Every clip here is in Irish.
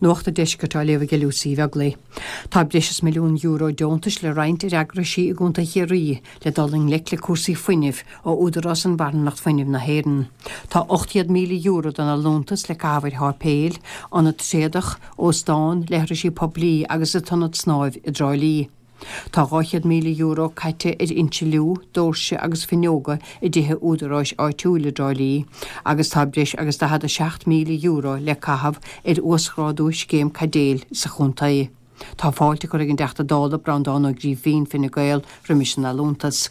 Nuacht an Deiscirt á léamh ag Lucy Uí Bheaglaoich. Tá breis is €1 milliún deontais le roinnt ar eagraisí i gContae Chiarraí le dul i ngleic le cúrsaí fuinnimh ó Údarás um Bharrthanacht Fuinnimh na hÉireann. Tá €800,000 den allúntas le caitheamh ar sháipéil, ionad tréadach, óstán, leithrisí poiblí agus an t-ionad snáimh i dTrá Lí. Tá €200,000 caite ar insliú, doirse agus fuinneoga i dtithe údaráis áitiúil i dTrá Lí agus tá breis agus €47,000 le caitheamh ar uasghrádú scéim caidéil sa chontae. Tá fáilte curtha ag an dTeachta Dála Breandán Ó Grífín, Fine Gael, roimis an allúntas.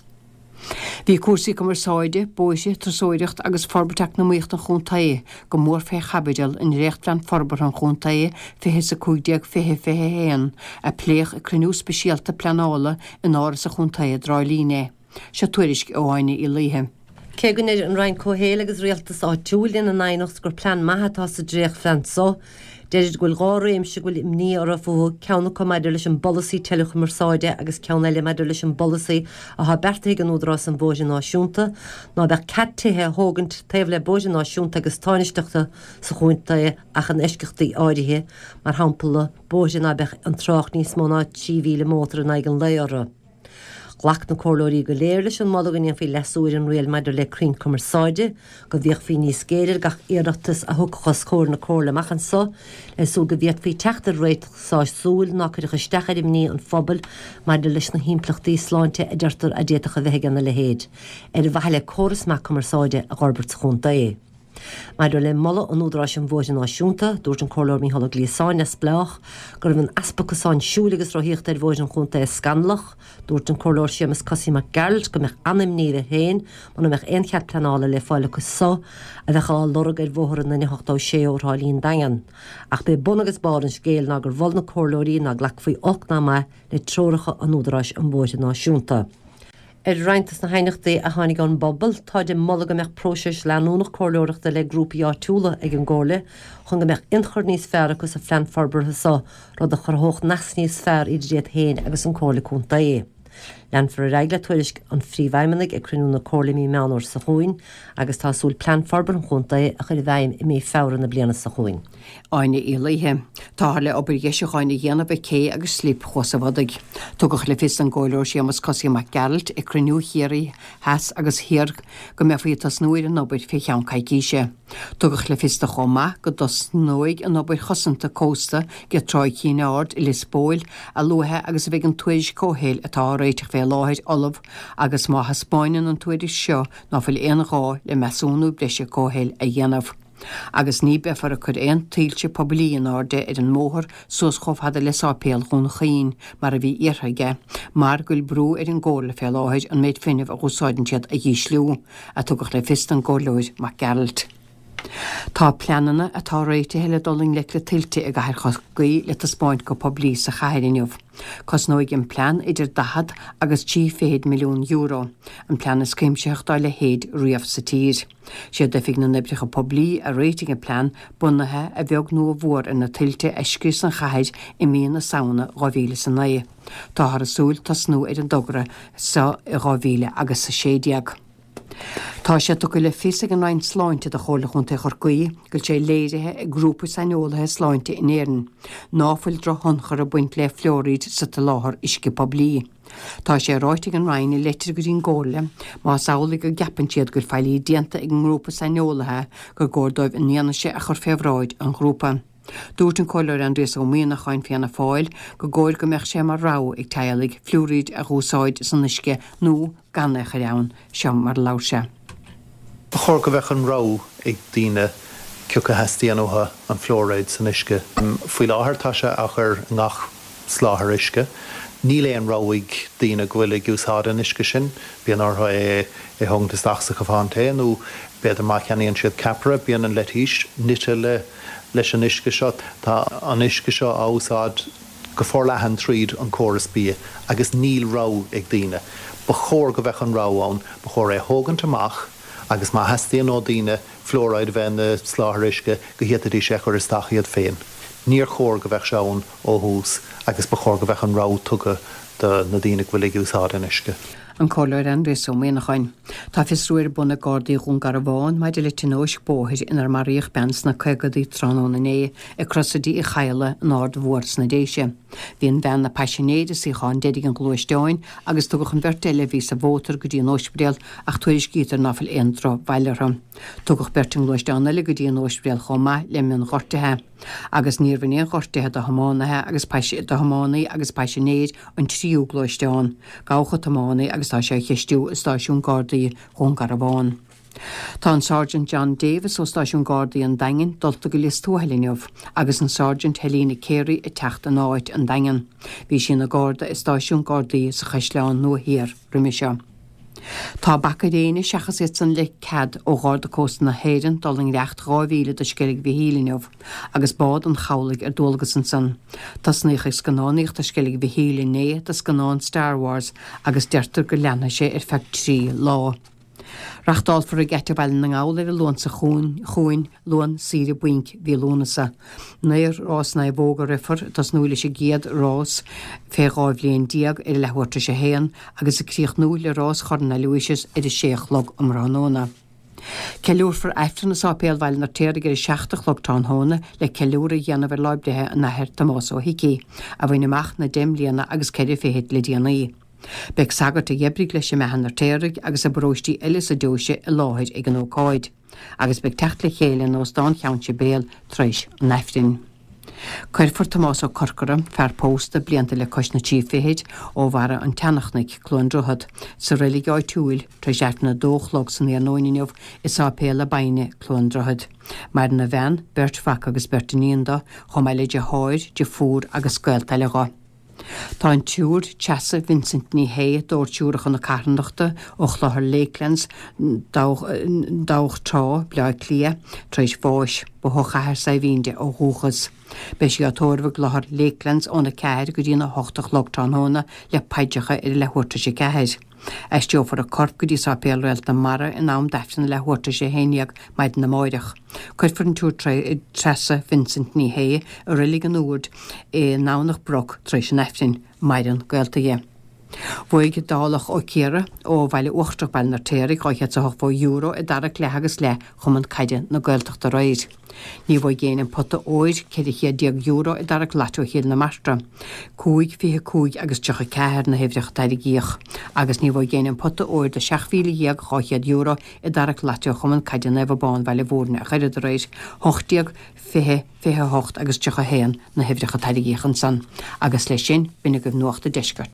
Bhí cúrsaí cumarsáide, bóithre, turasóireacht agus forbairt eacnamaíochta an chontae go mór fé chaibideal i ndréachtphlean forbartha an chontae 20 is 15 20 21 a pléadh ag cruinniú speisialta pleanála in Áras an Chontae i dTrá Lí inné. Seo tuairisc ó Áine Uí Laoithe. Cé go ndeir an Roinn Comhshaoil agus Rialtais Áitiúil ina n-aighneacht gur plean maith atá sa dréachtphlean so, deirid go bhfuil 2 réimse go bhfuil imní orthu fúthu, ceann acu maidir leis an bpolasaí teileachumarsáide agus ceann eile maidir leis an bpolasaí athá beartaithe ag an Údarás um Bhóithre Náisiúnta ná beadh cead tithe a thógaint taobh le bóithre náisiúnta agus tánaisteachta sa chontae ach in eisceachtaí áirithe, mar shampla bóithre ná beadh an trácht níos mó ná 3,000 mótar in aghaidh an lae orthu. Ghlac na comhairleoirí go léir leis an moladh go ndéanfaí leasú ar an riail maidir le crainn cumarsáide, go bhféachfaí níos géire ar gach iarratas a thiocfadh os comhair na comhairle amach anso, le súil go bhféadfaí teacht ar réiteach sásúil ná cuirfeadh isteach ar imní an phobail maidir leis na himpleachtaí sláinte a deirtear a d'fhéadfadh a bheith ag ina leithéid, ar mhaithe le córas maith cumarsáide a dh'fhorbairt sa chontae. Maidir le moladh an Údaráis um Bhóithre Náisiúnta, dúirt an Comhairleoir Mícheál Ó Gliasáin, Neamhspleách, go raibh an easpa cosán siúil agus rothaíochta ar bhóithre an chontae scannalach. Dúirt an Comhairleoir Séamus Cosaí Mac Gearailt go mbeadh an-imní air féin muna mbeadh aon chead pleanála le fáil acu so a bheadh á lorg ar bhóthar an N86 ó Thrá Lí an Daingean. Ach b'é bun agus barr an scéil ná gur mhol na comhairleoirí ná glacfaí olc ná maith le treoracha an Údaráis um Bhóithre Náisiúnta. Ar roinnt dos na haighneachtaí a tháinig ón bpobal, táid ag moladh go mbeadh próiseas leanúnach comhairleoireachta le grúpaí áitiúla ag an gComhairle chun go mbeadh ionchur níos fearr acu sa phlean forbartha so, rud a chruthódh nasc níos fearr idir iad féin agus an Comhairle Contae. Leanfar ar aghaidh le tuairisc an Phríomhfheidhmeannaigh ag cruinniú na Comhairle i mí Meán Fhómhair seo chugainn agus tá súil plean forbartha an chontae a chur i bhfeidhm i mí Feabhra na bliana seo chugainn. Áine Uí Laoithe. Táthar le obair dheisiúcháin a dhéanamh ag cé agus Slip Chuas a' Bhodaigh. Tugadh le fios don gComhairleoir Séamus Cosaí Mac Gearailt ag cruinniú Chiarraí Theas agus Thiar go mbeifí ag tosnú ar an obair fé cheann coicíse. Tugadh le fios do chomh maith go dtosnóidh an obair chosanta cósta ge Tráigh Chinn Aird i Lios Póil a luaithe agus a bheidh an tuairisc comhshaoil atá á réiteach fé láthair ullamh agus má thaispeáineann an tuairisc seo ná fuil aon ghá le measúnú breise comhshaoil a dhéanamh. Agus ní beifear ag cur aon tuilte poiblí in airde ar an mbóthar suas chomh fada le Sáipéal Dhún Chaoin, mar a bhí iarrtha aige, mar go bhfuil brú ar an gComhairle fé láthair an méid fuinnimh a dh'úsáideann siad a dh'ísliú, a tugadh le fios don gComhairleoir Mac Gearailt. Tá pleananna atá réitithe le dul i ngleic le tuilte i gcathair Chorcaí le taispeáint go poiblí sa chathair inniu. Cosnóidh an plean idir 40 agus €30 milliún, an plean is cuimsitheach dá leithéid riamh sa tír. Siad Oifig na nOibreacha Poiblí a réitigh an plean, bunaithe a bheag nó a mhór ar na tuilte a scrios an chathair i mí na Samhna 2009. Táthar ag súil tosnú ar an dtogra seo i 2016. Tá sé tugtha le fios ag an Roinn Sláinte do Chomhairle Chontae Chorcaí go bhfuil sé léirithe ag grúpa saineolaithe sláinte in Éirinn ná fuil drochthionchar ag baint le fluairíd sa tsoláthar uisce poiblí. Tá sé ráite ag an Roinn i leitir go dtí an gComhairle, más amhlaidh go gceapann siad go bhfuil faillí déanta ag an ngrúpa saineolaithe, gur gcóir dóibh an fhianaise a chur fé bhráid an ghrúpa. Dúirt an Comhairleoir Aindrias Ó Mianacháin, Fianna Fáil, go gcóir go mbeadh sé mar rogha ag teaghlaigh fluairíd a dh'úsáid san uisce nó gan é a chur ann. Seo mar a labhair sé. Ba chóir go mbeadh an rogha ag daoine cioca theastaíonn uathu an fluairéad san uisce. Faoi láthair tá sé á chur i ngach soláthar uisce. Níl aon rogha ag daoine go bhfuil ag úsáid an uisce sin. Bíonn orthu é a thógaint isteach sa chupán tae nó b'fhéidir má cheannaíonn siad ceapaire bíonn an leitís nite le leis an uisce seo. Tá an uisce seo á úsáid go forleathan tríd an córas bia agus níl rogha ag daoine. Ba chóir go bheadh an rogha ann. Ba chóir é a thógaint amach agus má theastaíonn ó daoine fluoride a bheith ina soláthar uisce go bhféadfaidís é a chur isteach iad féin. Níor chóir go bheadh sé ann ó thús agus ba chóir go bheadh an rogha tugtha do na daoine go bhfuil ag úsáid an uisce. An Comhairleoir Aindrias Ó Muíneacháin. Tá fiosrú ar bun ag Gardaí Dhún Garbhán maidir le tionóisc bóthair inar maraíodh bean sna caogadaí tráthnóna inné ag Crosaire Uí Chadhla in Aird Mhór sna Déise. Bhí an bhean ina paisinéir i suíochán deiridh an ghluaisteáin agus tugadh an bheirt eile a bhí sa mhótar go dtí an óispidéal ach tuairiscítear ná fuil aon drochbhail orthu. Tugadh beirt i ngluaisteán eile go dtí an óispidéal chomh maith le mionghortuithe. Agus níor bhain aon ghortuithe do thiománaithe agus do thiománaí agus paisinéir an tríú gluaisteán. Gabhadh an tiománaí agus tá sé á cheistiú i stáisiún Gardaí Dhún Garbhán. Tá an Sergeant John Davis ó Stáisiún Gardaí an Daingin dulta go Lios Tuathail inniu agus an Sergeant Helena Carey ag teacht ina áit an Daingean. Bhí sí ina Garda i Stáisiún Gardaí sa Chaisleán Nua Thiar roimhe seo. Tá bac ar éinne seachas iad san le cead ó Gharda Cósta na hÉireann dul i ngiorracht 2 mhíle do Sceilg Mhichíl inniu agus bád an chabhlaigh ar dualgas ansan. Tosnaíodh ag scannánaíocht ar Sceilg Mhichíl inné do scannán Star Wars agus deirtear go leanfaidh sé ar feadh 3 lá. Reachtálfar i nGeata Bhaile na nGall ar an Luan seo chugainn, Luan Saoire Bainc mhí Lúnasa. Naoi rás naomhóg a rithfear, ag tosnú leis an gcéad rás fé 12 bhliain ar a leathuair tar éis a haon agus ag críochnú le rás Chorn Aloysius ar a sé a chlog um thráthnóna. Ceiliúrfar Aifreann i Sáipéal Bhaile an Fheirtéaraigh ar a 7 a chlog tráthnóna le ceiliúradh a dhéanamh ar lá breithe an Athar Tomás Ó hIcí, a bhain amach na deich mbliana agus ceithre fichid le déanaí. Beidh sagairt a d'oibrigh leis i mBeatha an Fheirtéaraigh agus i bparóistí eile sa deoise i láthair ag an ócáid, agus beidh teacht le chéile in Óstán Cheann Sibéal tar éis an Aifrinn. Cuirfear Tomás Ó Corcora, fear pósta, blianta le cois na trí fichid, ó Bharra an tSeanachnoic, Cluain Droichead, sa reilig áitiúil tar éis Aifreann a dó a chlog san iarnóin inniu i Sáipéal Abbainne, Cluain Droichead. Maireann a bhean, beirt mhac agus beirt iníon do, chomh maith le deartháir, deirfiúr agus gaolta eile dho. Tá an tSiúr Treasa Vincent Ní Shé d'Ord Siúracha na Carthanachta ó Chlochar Lakelands, Dabhach Trá, Bleá Cliath, tar éis bháis. Ba ó Chathair Saidhbhín di ó dhúchas. Beidh sí á tórramh i gClochar Lakelands óna 4 go dtína 8 a chlog tráthnóna le paidreacha ar a leathuair tar éis a 4. Aistreofar a corp go dtí Sáipéal Réalt na Mara in am d'Aifreann a leathuair tar éis a 11 maidin amáireach. Cuirfear an tSiúr Treasa Vincent Ní Shé i Reilig an Úird i nDomhnach Broc tar éis an Aifrinn. Maireann gaolta dhi. Bhuaigh Dálach Ó Ciardha ó Bhaile Uachtarach Baile an Fheirtéaraigh €280 i dtarrac leath agus leath Chumann Caide na Gaeltachta aréir. Ní bhuaigh éinne an pota óir, €14 i dtarrac Lotto Chill na Martra. 5, 25 agus 34 na huimhreacha a tairgíodh. Agus ní bhuaigh éinne an pota óir de €17,200 i dtarrac Lotto Chumann Caide Naomh Abán Bhaile Mhúirne ach oiread aréir. 18, 20, 28 agus 31 na huimhreacha a tairgíodh ansan. Agus leis sin, b'in agaibh Nuacht an Deiscirt.